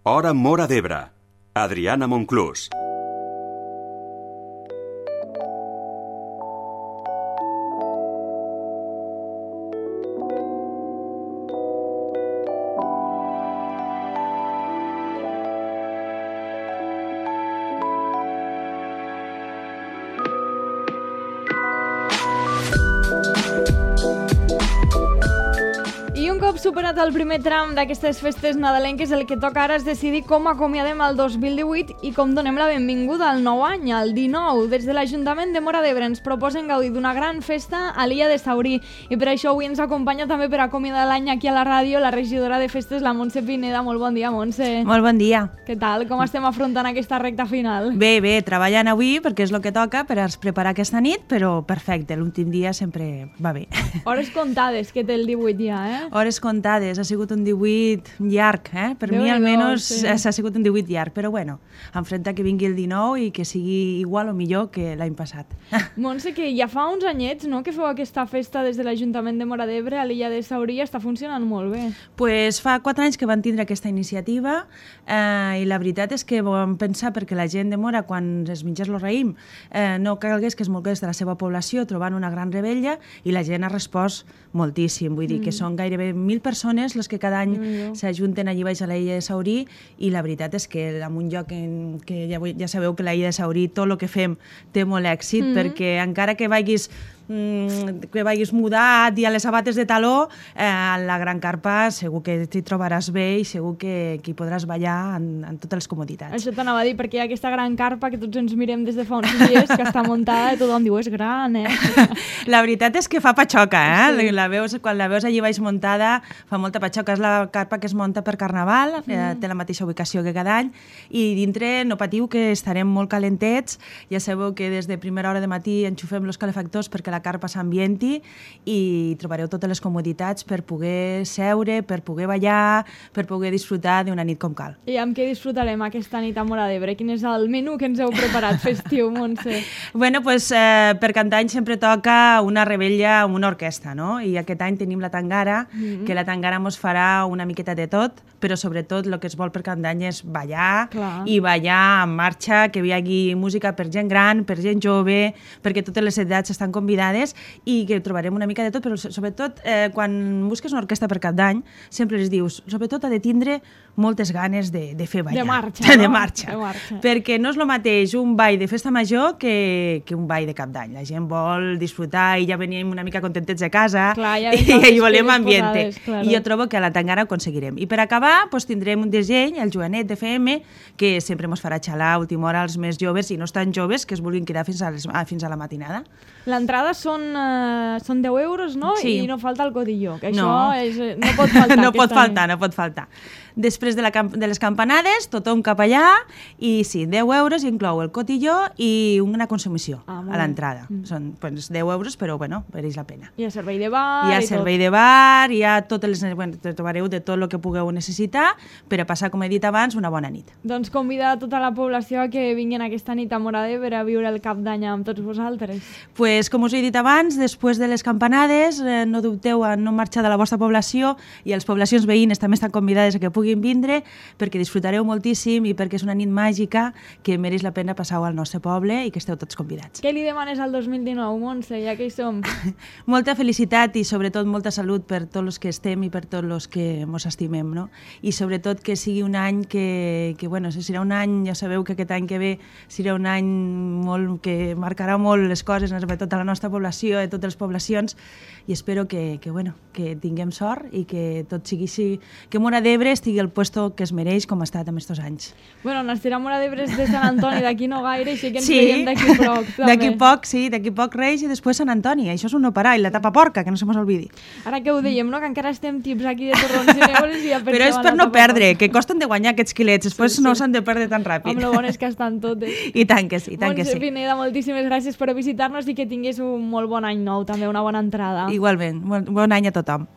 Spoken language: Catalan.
Hora Móra d'Ebre. Adriana Monclús. Superat el primer tram d'aquestes festes nadalenques, el que toca ara és decidir com acomiadem el 2018 i com donem la benvinguda al nou any, al 19. Des de l'Ajuntament de Móra d'Ebre ens proposen gaudir d'una gran festa a l'illa de Saurí i per això avui ens acompanya també per acomiadar l'any aquí a la ràdio la regidora de festes, la Montse Pineda. Molt bon dia, Montse. Molt bon dia. Què tal? Com estem afrontant aquesta recta final? Bé, treballant avui perquè és el que toca per preparar aquesta nit, però perfecte, l'últim dia sempre va bé. Hores comptades que té el 18 ja, eh? Hores comptades, ha sigut un 18 llarg, Per mi almenys ha sigut un 18 llarg, però bueno, enfrenta que vingui el 19 i que sigui igual o millor que l'any passat. Montse, que ja fa uns anyets, no?, que feu aquesta festa des de l'Ajuntament de Móra d'Ebre a l'illa de Saurí, està funcionant molt bé. Pues fa 4 anys que van tindre aquesta iniciativa i la veritat és que vam pensar perquè la gent de Móra, quan es mengés el raïm, no calgués que es mogués de la seva població trobant una gran rebella i la gent ha respost moltíssim, vull dir que són gairebé 1.000 persones les que cada any s'ajunten allí baix a l'illa de Saurí i la veritat és que en un lloc que ja sabeu que l'illa de Saurí tot el que fem té molt èxit perquè encara que vagis mudat i a les sabates de taló, a la gran carpa segur que t'hi trobaràs bé i segur que hi podràs ballar en totes les comoditats. Això t'anava a dir, perquè hi ha aquesta gran carpa que tots ens mirem des de fa uns dies, que està muntada i tothom diu, és gran, La veritat és que fa patxoca, Sí. Quan la veus allí baix muntada fa molta patxoca. És la carpa que es munta per Carnaval, té la mateixa ubicació que cada any, i dintre no patiu que estarem molt calentets. Ja sabeu que des de primera hora de matí enxufem els calefactors perquè la carpa s'ambienti i trobareu totes les comoditats per poder seure, per poder ballar, per poder disfrutar d'una nit com cal. I amb què disfrutarem aquesta nit a Móra d'Ebre? Quin és el menú que ens heu preparat festiu, Montse? Bueno, pues, per cantar any sempre toca una rebella amb una orquestra, no? I aquest any tenim la Tangara, que la Tangara mos farà una miqueta de tot, però sobretot el que es vol per cantar any és ballar i ballar en marxa, que hi hagi música per gent gran, per gent jove, perquè totes les edats estan convidades i que trobarem una mica de tot, però sobretot quan busques una orquestra per cap d'any sempre les dius, sobretot ha de tindre moltes ganes de fer ballar. De marxa, de marxa. Perquè no és el mateix un ball de festa major que un ball de cap d'any. La gent vol disfrutar i ja venim una mica contentets de casa i volem ambiente. I jo trobo que a la Tangara ho aconseguirem. I per acabar tindrem un disseny, el Joanet d'FM, que sempre ens farà xalar a última hora els més joves i no tan joves que es vulguin quedar fins a la matinada. L'entrada són 10 euros, no? Sí. I no falta el cotilló, que això no pot faltar. No pot faltar. Després de les campanades, tothom cap allà i sí, 10 euros inclou el cotilló i una consumició a l'entrada. Són 10 euros, però bueno, mereix la pena. Hi ha servei de bar hi ha servei de bar, hi ha totes les... Bueno, trobareu de tot el que pugueu necessitar per a passar, com he dit abans, una bona nit. Doncs convidar tota la població a que vinguin aquesta nit a Móra d'Ebre a viure el cap d'any amb tots vosaltres. Pues, com us he dit abans, després de les campanades, no dubteu a no marxar de la vostra població i les poblacions veïnes també estan convidades a que puguin vindre perquè disfrutareu moltíssim i perquè és una nit màgica que mereix la pena passar-ho al nostre poble i que esteu tots convidats. Què li demanes al 2019, Montse, ja que hi som? Molta felicitat i sobretot molta salut per tots els que estem i per tots els que mos estimem, no? I sobretot que sigui un any que bueno, serà un any, ja sabeu que aquest any que ve serà un any que marcarà molt les coses, sobretot a la nostra població, a totes les poblacions, i espero que tinguem sort i que tot sigui que Móra d'Ebre estigui al puesto que es mereix com ha estat en estos anys. Bueno, Nastirà Móra d'Ebre és de Sant Antoni, d'aquí no gaire, així que ens veiem d'aquí poc. D'aquí poc Reis i després Sant Antoni. Això és un no parar, i la tapa porca, que no se mos oblidi. Ara que ho dèiem, no? Que encara estem tips aquí de torrons i neules i ja pensem. Però és per no perdre, que costen de guanyar aquests quilets, després no s'han de perdre tan ràpid. Amb lo bon és que estan totes. I tant que sí, Montse Pineda, moltíssimes gràcies per visitar-nos i que tingués un molt bon any nou, també una bona entrada. Igualment, bon any a tothom.